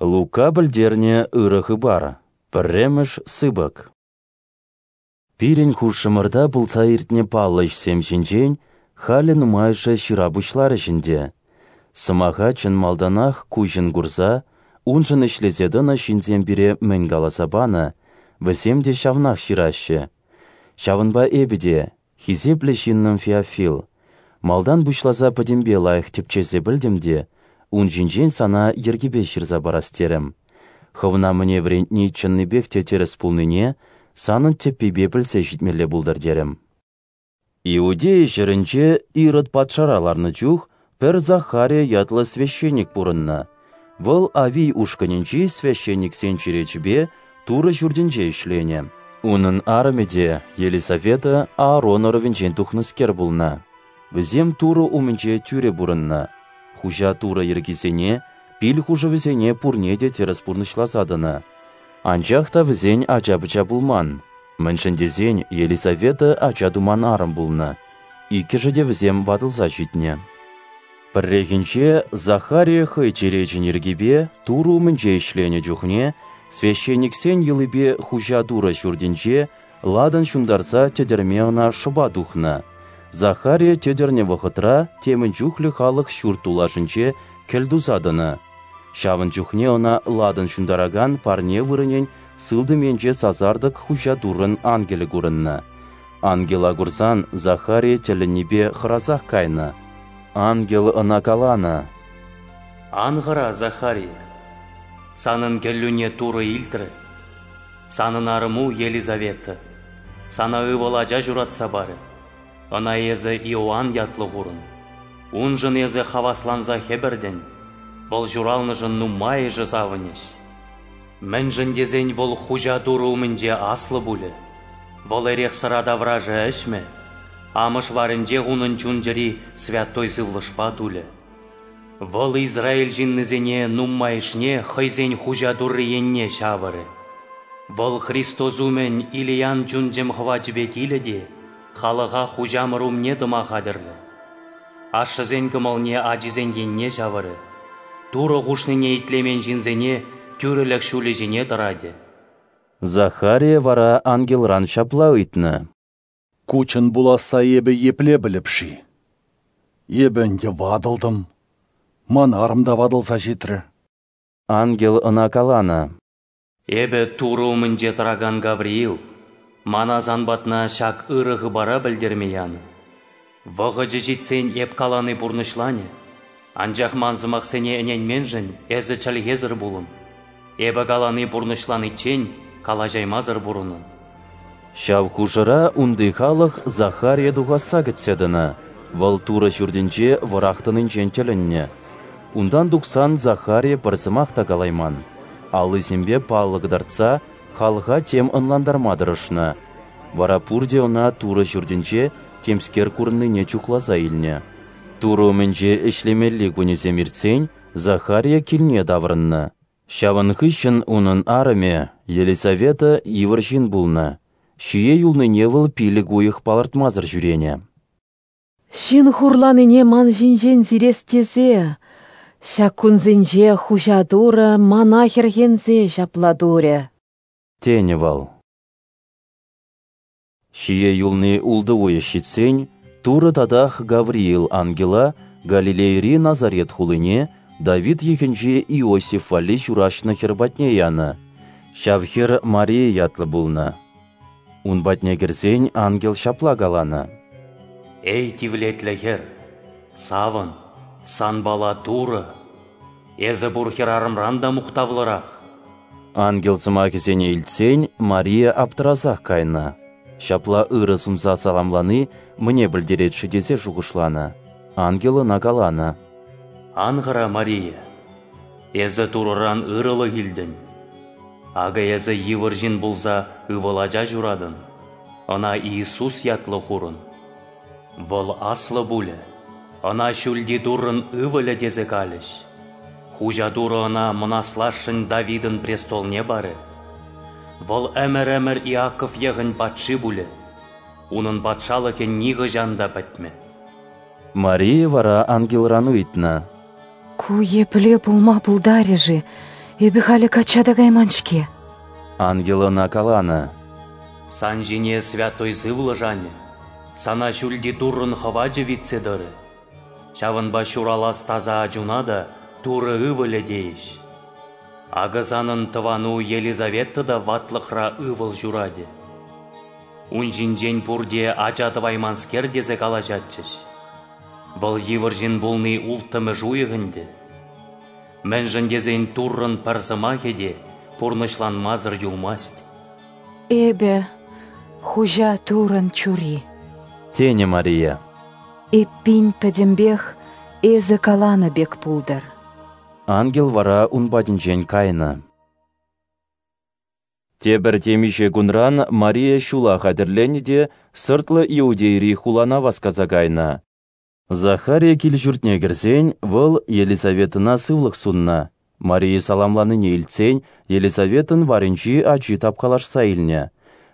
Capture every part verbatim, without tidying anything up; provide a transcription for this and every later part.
Лука пӗлтернӗ ырӑ хыпар. Пӗрремӗш сыпӑк. Пирӗн хушӑмӑрта пулса иртнӗ паллӑ ӗҫсем ҫинчен халӗ нумайӑшӗ ҫыра пуҫларӗҫ ӗнтӗ. Сӑмаха чӑн малтанах куҫӑн курса, уншӑн ӗҫлесе тӑнӑ ҫынсем пире мӗн каласа панӑ, вӗсем те ҫавнах ҫыраҫҫӗ. Ҫавӑнпа эпӗ те, хисеплӗ ҫыннӑм Феофил, малтан пуҫласа пӗтӗмпе лайӑх тӗпчесе пӗлтӗм те ун ҫинчен сана йӗркипе ҫырса парас терӗм. Хӑвна мӗне вӗрентни чӑннипех те тӗрӗс пулнине санӑн тӗппипе пӗлсе ҫитмелле пултӑр терӗм. Иудея ҫӗрӗнче Ирод патшара ларнӑ чух пӗр Захария ятлӑ священник пурӑннӑ. Вӑл Авий ушкӑнӗнчи священниксен черечӗпе Турӑ ҫуртӗнче ӗҫленӗ. Унӑн арӑмӗ те, Елисавета, Аарон ӑрӑвӗнчен тухнӑскер пулнӑ. Вӗсем Турӑ умӗнче тӳрӗ пурӑннӑ. Хуҫа Турӑ йӗркисене, пил хушӑвӗсене пурне те тӗрӗс пурнӑҫласа тӑнӑ. Анчах та вӗсен ача-пӑча пулман, мӗншӗн тесен Елисавета ача туман арӑм пулнӑ. Иккӗшӗ те вӗсем ватӑлса ҫитнӗ. Пӗррехинче Захария хӑй черечӗн йӗркипе Турӑ умӗнче ӗҫленӗ чухне священниксен йӑлипе Хуҫа Турӑ ҫуртӗнче ладан ҫунтарса тӗтӗрме ӑна шӑпа тухнӑ. Захария тӗтӗрнӗ вӑхӑтра темӗн чухлӗ халӑх ҫурт тулашӗнче кӗлтуса тӑнӑ. Ҫавӑн чухне ӑна ладан ҫунтаракан парне вырӑнӗн сылтӑм енче сасартӑк Хуҫа Туррӑн ангелӗ курӑннӑ. Ангела курсан Захария тӗлӗннипе хӑрасах кайнӑ. Ангел ӑна каланӑ: «Ан хӑра, Захария, санӑн кӗллӳне Турӑ илтрӗ. Санӑн арӑму Елизавета сана ывӑл ача ҫуратса парӗ. Ӑна эсӗ Иоанн ятлӑ хурӑн. Уншӑн эсӗ хавасланса хӗпӗртӗн, вӑл ҫуралнӑшӑн нумайӑшӗ савӑнӗҫ. Мӗншӗн тесен вӑл Хуҫа Турӑ умӗнче аслӑ пулӗ. Вӑл эрех-сӑра таврашӗ ӗҫмӗ, амӑш варӗнчех унӑн чун-чӗри Святой Сывлӑшпа тулӗ. Вӑл Израиль ҫыннисене нумайӑшне хӑйсен Хуҫа Турри енне ҫавӑрӗ. Вӑл Христос умӗн Илиян чун-чӗм хӑвачӗпе килӗ те халӑха Хуҫамӑр умне тӑма хатӗрлӗ. Ашшӗсен кӑмӑлне ачисен енне ҫавӑрӗ, Турӑ хушнине итлемен ҫынсене тӳрӗлӗх ҫулӗ ҫине тӑратӗ». Захария вара ангелран ҫапла ыйтнӑ: «Ку чӑн пуласса эпӗ епле пӗлӗп-ши? Эпӗ ӗнтӗ ватӑлтӑм, ман арӑм та ватӑлса ҫитрӗ». Ангел ӑна каланӑ: «Эпӗ Турӑ умӗнче тӑракан Гавриил, мана сан патна ҫак ырӑ хыпара пӗлтерме янӑ. Вӑхӑчӗ ҫитсен эп калани пурнӑҫланӗ, анчах ман сӑмахсене ӗненменшӗн эсӗ чӗлхесӗр пулӑн. Эпӗ калани пурнӑҫланиччен калаҫаймасӑр пурӑнӑн». Ҫав хушӑра унти халӑх Захария тухасса кӗтсе тӑнӑ. Вӑл Турӑ ҫуртӗнче вӑрах тӑнинчен тӗлӗннӗ. Унтан тухсан Захария пӗр сӑмах та калайман. Аллисемпе паллӑ кӑтартса халӑха тем ӑнлантарма тӑрӑшнӑ. Вара пурте ӑна Турӑ ҫуртӗнче темскер курӑннине чухласа илнӗ. Турӑ умӗнче ӗҫлемелли кунӗсем иртсен Захария килне таврӑннӑ. Ҫавӑн хыҫҫӑн унӑн арӑмӗ, Елисавета, йывӑр ҫын пулнӑ. Ҫие юлнине вӑл пилӗк уйӑх палӑртмасӑр ҫӳренӗ. Ҫын хурланине ман ҫинчен сирес тесе, ҫак кунсенче Хуҫа Турӑ мана хӗрхенсе ҫапла турӗ», тенӗ вӑл. Ҫие юлни ултӑ уйӑх ҫитсен Турӑ татах Гавриил ангела Галилейӑри Назарет хулине Давид йӑхӗнчи Иосиф валли ҫураҫнӑ хӗр патне янӑ. Ҫав хӗр Мария ятлӑ пулнӑ. Ун патне кӗрсен ангел ҫапла каланӑ: «Эй, тивлетлӗ хӗр, савӑн, санпала Турӑ! Эсӗ пур хӗрарӑмран та мухтавлӑрах». Ангел сӑмахӗсене илтсен Мария аптӑрасах кайнӑ. Ҫапла ырӑ сунса саламлани мӗне пӗлтерет-ши тесе шухӑшланӑ. Ангел ӑна каланӑ: «Ан хӑра, Мария, эсӗ Турӑран ырӑлӑх илтӗн. Акӑ эсӗ йывӑр ҫын пулса ывӑл ача ҫуратӑн, ӑна Иисус ятлӑ хурӑн. Вӑл аслӑ пулӗ, ӑна Ҫӳлти Туррӑн ывӑлӗ тесе калӗҫ. Хуҫа Турӑ ӑна мӑнаслашшӗн Давидӑн престолне парӗ. Вӑл ӗмӗр-ӗмӗр Иаков йӑхӗн патши пулӗ, унӑн патшалӑхӗ нихӑҫан та пӗтмӗ». Мария вара ангелран ыйтнӑ: «Ку епле пулма пултарӗ-ши? Эпӗ халӗ качча та кайман-ҫке. Ангел ӑна каланӑ: Сан ҫине Святой Сывлӑш анӗ, сана Ҫӳлти Туррӑн хӑвачӗ витсе тӑрӗ. Ҫавӑнпа ҫуралас таса ачуна та Турӑ ывӑлӗ тейӗҫ. Акӑ санӑн тӑвану Елизавета та ватлӑхра ывӑл ҫуратӗ. Ун ҫинчен пурте ача тӑвайманскер тесе калаҫатчӗҫ. Вӑл йывӑр ҫын пулни улттӑмӗш уйӑх ӗнтӗ. Мӗншӗн тесен Туррӑн пӗр сӑмахӗ те пурнӑҫланмасӑр юлмасть. Эпӗ Хуҫа Туррӑн чури, тенӗ Мария. Эппин пӗтӗмпех эсӗ каланӑ пек пултӑр. Ангел вара ун патӗнчен кайнӑ. Тепӗр темиҫе кунран Мария ҫула хатӗрленнӗ те сӑртлӑ Иудейри хулана васкаса кайнӑ. Захария кил-ҫуртне кӗрсен, вӑл Елизаветӑна сывлӑх суннӑ. Мария саламланине илтсен, Елизаветӑн варӗнчи ачи тапкалашса илнӗ.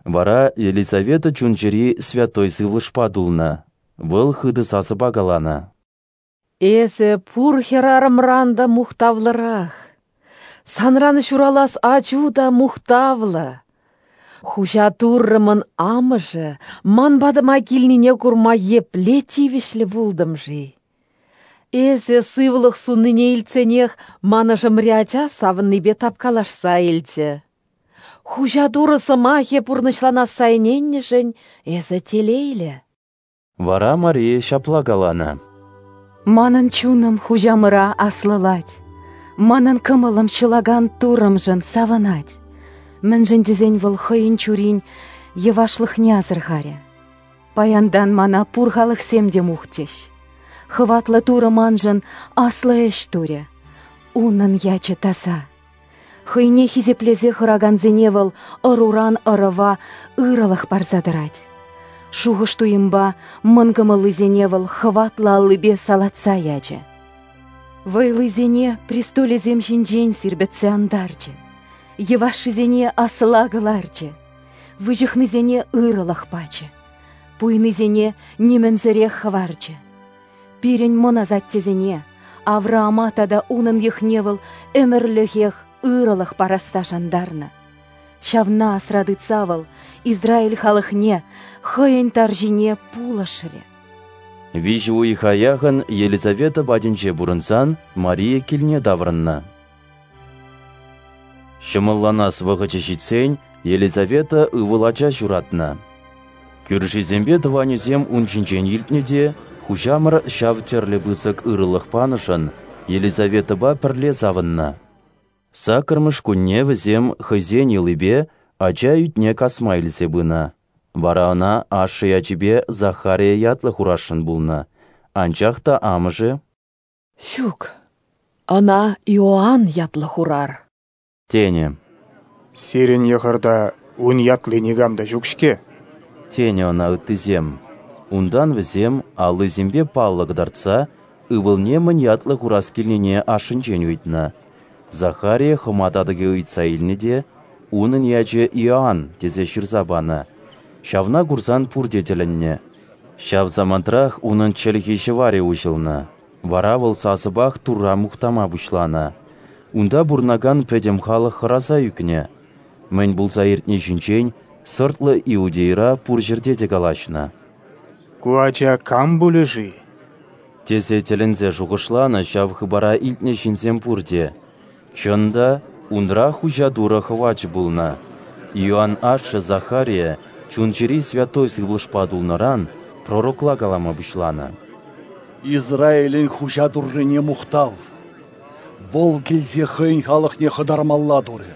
Вара Елизавета чун-чӗри Святой Сывлӑшпа тулнӑ. Вӑл хытӑ сасӑпа каланӑ: Эсӗ пур хӗрарӑмран та мухтавлӑрах. Санран ҫуралас ачу та мухтавлӑ. Хуҫа Туррӑмӑн амӑшӗ ман патӑма килнине курма епле тивӗҫлӗ пултӑм-ши? Эсӗ сывлӑх суннине илтсенех ман ӑшӑмри ача савӑннипе тапкалашса илчӗ. Хуҫа Турӑ сӑмахӗ пурнӑҫланасса ӗненнӗшӗн эсӗ телейлӗ. Вара Мария ҫапла каланӑ: Манӑн чунӑм Хуҫамӑра аслӑлать, манӑн кӑмӑлӑм ҫӑлакан Туррӑмшӑн савӑнать. Мӗншӗн тесен вӑл хӑйӗн чурин йӑвашлӑхне асӑрхарӗ. Паянтан мана пур халӑхсем те мухтӗҫ. Хӑватлӑ Турӑ маншӑн аслӑ ӗҫ турӗ. Унӑн ячӗ таса. Хӑйне хисеплесе хӑракансене вӑл ӑруран ӑрӑва ырӑлӑх парса тӑрать. Шухӑш туйӑмпа мӑн кӑмӑллисене вӑл хӑватлӑ аллипе салатса ячӗ. Вӑйлисене престолӗсем ҫинчен сирпӗтсе антарчӗ. Йӑвашшисене асла кӑларчӗ. Выҫӑхнисене ырӑлӑх пачӗ. Пуйнисене нимӗнсӗрех хӑварчӗ. Пирӗн мӑн асаттесене, Авраама тата унӑн йӑхне вӑл ӗмӗрлӗхех ырӑлӑх парасса шантарнӑ. Ҫавна асра тытса вӑл Израиль халӑхне хӑйӗн тарҫине пулӑшрӗ. Виҫӗ уйӑха яхӑн Елизавета патӗнче пурӑнсан Мария килне таврӑннӑ. Ҫӑмӑлланас вӑхӑчӗ ҫитсен Елизавета ывӑл ача ҫуратнӑ. Кӳршисемпе тӑванӗсем ун ҫинчен илтнӗ те Хуҫамӑр ҫав тӗрлӗ пысӑк ырӑлӑх панӑшӑн Елизаветӑпа пӗрле савӑннӑ. Саккӑрмӗш кунне вӗсем хӑйсен йӑлипе ача ӳтне касма илсе пынӑ. Вара ӑна ашшӗ ячӗпе Захария ятлӑ хурасшӑн пулнӑ. Анчах та амӑшӗ: Ҫук, ӑна Иоанн ятлӑ хурар, тенӗ. Сирӗн йӑхӑрта ун ятли никам та ҫук-ҫке, тенӗ ӑна ыттисем. Унтан вӗсем аллисемпе паллӑ кӑтартса ывӑлне мӗн ятлӑ хурас килнине ашшӗнчен ыйтнӑ. Захария хӑма татӑкӗ ыйтса илнӗ те унӑн ячӗ Иоанн тесе ҫырса панӑ. Ҫавна курсан пурте тӗлӗннӗ. Ҫав самантрах унӑн чӗлхи ҫӑварӗ уҫӑлнӑ. Вара вӑл сасӑпах Турра мухтама пуҫланӑ. Унта пурӑнакан пӗтӗм халӑх хӑраса ӳкнӗ. Мӗн пулса иртни ҫинчен сӑртлӑ Иудейра пур ҫӗрте те калаҫнӑ. Ку ача кам пулӗ-ши? Тесе тӗлӗнсе шухӑшланӑ ҫав хыпара илтнӗ ҫынсем пурте. Чӑн та, унра Хуҫа Турӑ хӑвачӗ пулнӑ. Иоанн ашшӗ Захария чун-чӗри Святой Сывлӑшпа тулнӑран пророкла калама пуҫланӑ. Израилӗн Хуҫа Туррине мухтав! Вӑл килсе хӑйӗн халӑхне хӑтармалла турӗ.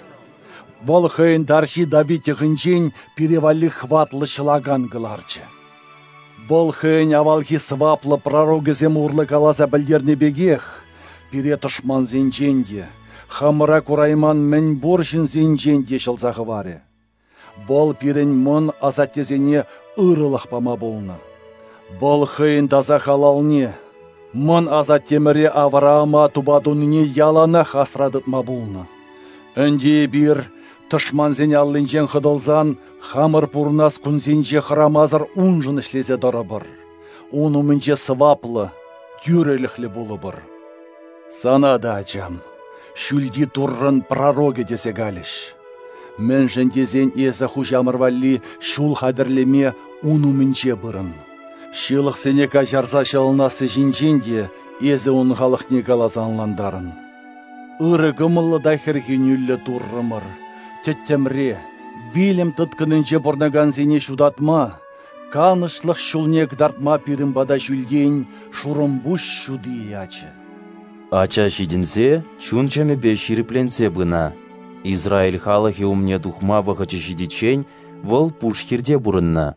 Вӑл хӑйӗн тарҫи Давид йӑхӗнчен пире валли хӑватлӑ ҫӑлакан кӑларчӗ. Вӑл хӑйӗн авалхи сӑваплӑ пророкӗсем урлӑ каласа пӗлтернӗ пекех пире тӑшмансенчен те, хамӑра курайман мӗн пур ҫынсенчен те ҫӑлса хӑварӗ. Вӑл пирӗн мӑн асаттесене ырӑлӑх пама пулнӑ. Вӑл хӑйӗн таса халалне, мӑн асаттемӗре Авраама тупа тунине яланах асра тытма пулнӑ. Ӗнтӗ эпир тӑшмансен аллинчен хӑтӑлсан хамӑр пурӑнас кунсенче хӑрамасӑр уншӑн ӗҫлесе тӑрӑпӑр. Ун умӗнче сӑваплӑ, тӳрӗлӗхлӗ пулӑпӑр. Сана та, ачам, Ҫӳлти Туррӑн пророкӗ тесе калӗҫ. Мӗншӗн тесен эсӗ Хуҫамӑр валли ҫул хатӗрлеме ун умӗнче пырӑн. Ҫылӑхсене каҫарса ҫӑлӑнасси ҫинчен те эсӗ ун халӑхне каласа ӑнлантарӑн. Ырӑ кӑмӑллӑ та хӗрхенӳллӗ Туррӑмӑр, тӗттӗмре, вилӗм тыткӑнӗнче пурӑнакансене ҫутатма, канӑҫлӑх ҫулне кӑтартма пирӗн пата ҫӳлтен шурӑмпуҫ ҫути ячӗ. Ача ҫитӗнсе чун-чӗмӗпе ҫирӗпленсе пынӑ. Израиль халӑхӗ умне тухма вӑхӑчӗ ҫитиччен вӑл пуш хирте пурӑннӑ.